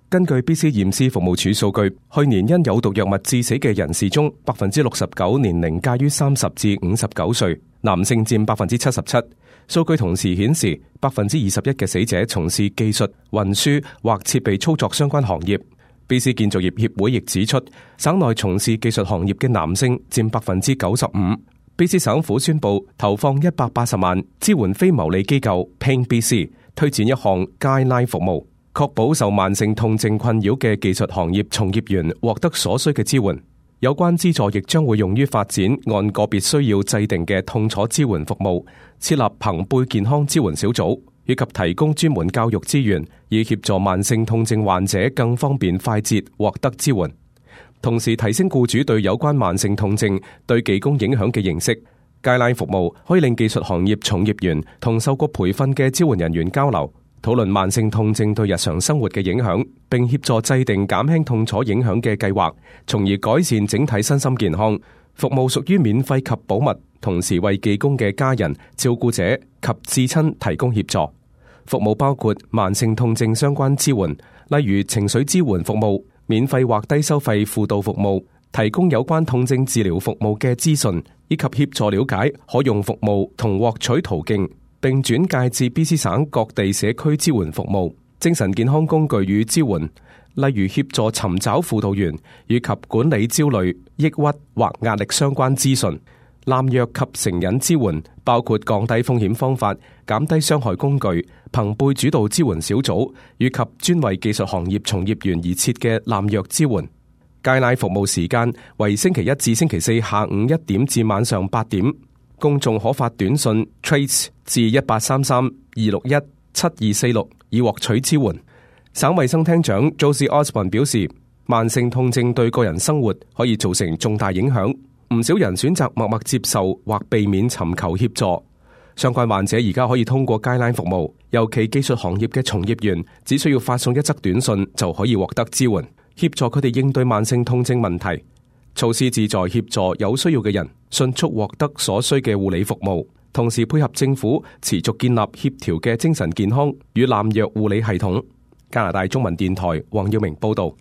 根據 BC 驗屍服務處數據，去年因有毒藥物致死嘅人士中，69%年齡介於30至59歲，男性佔77%。數據同時顯示，21%嘅死者從事技術、運輸或設備操作相關行業。BC 建造業協會亦指出，省內從事技術行業嘅男性佔95%。BC 省府宣布投放180萬支援非牟利機構 Pain BC 推展一項 guideline 服務，確保受慢性痛症困擾嘅技術行業從業員獲得所需嘅支援。有關資助亦將會用於發展按個別需要制定嘅痛楚支援服務，設立朋輩健康支援小組，以及提供專門教育資源，以協助慢性痛症患者更方便快捷獲得支援。同時提升僱主對有關慢性痛症對技工影響嘅認識。guideline服務可以令技術行業從業員同受過培訓嘅支援人員交流，討論慢性痛症對日常生活嘅影響，並協助制定減輕痛楚影響嘅計劃，從而改善整體身心健康。服務屬於免費及保密，同時為技工嘅家人、照顧者及至親提供協助。服務包括慢性痛症相關支援，例如情緒支援服務、免費或低收費輔導服務、提供有關痛症治療服務嘅資訊，以及協助了解可用服務同獲取途徑，並轉介至 BC 省各地社區支援服務、精神健康工具與支援，例如協助尋找輔導員，以及管理焦慮、抑鬱或壓力相關資訊。濫藥及成癮支援包括降低風險方法、減低傷害工具、朋輩主導支援小組，以及專為技術行業從業員而設嘅濫藥支援。guideline服務時間為星期一至星期四下午1點至晚上8點。公眾可發短信 Trace 至1833-261-7246以獲取支援。省衛生廳長 Josie Osborne 表示，慢性痛症對個人生活可以造成重大影響，唔少人選擇默默接受或避免尋求協助。相關患者而家可以通過 guideline 服務，尤其技術行業嘅從業員只需要發送一則短信就可以獲得支援，協助佢哋應對慢性痛症問題。措施旨在協助有需要嘅人迅速獲得所需嘅護理服務，同時配合政府持續建立協調嘅精神健康與濫藥護理系統。加拿大中文電台黃耀明報道。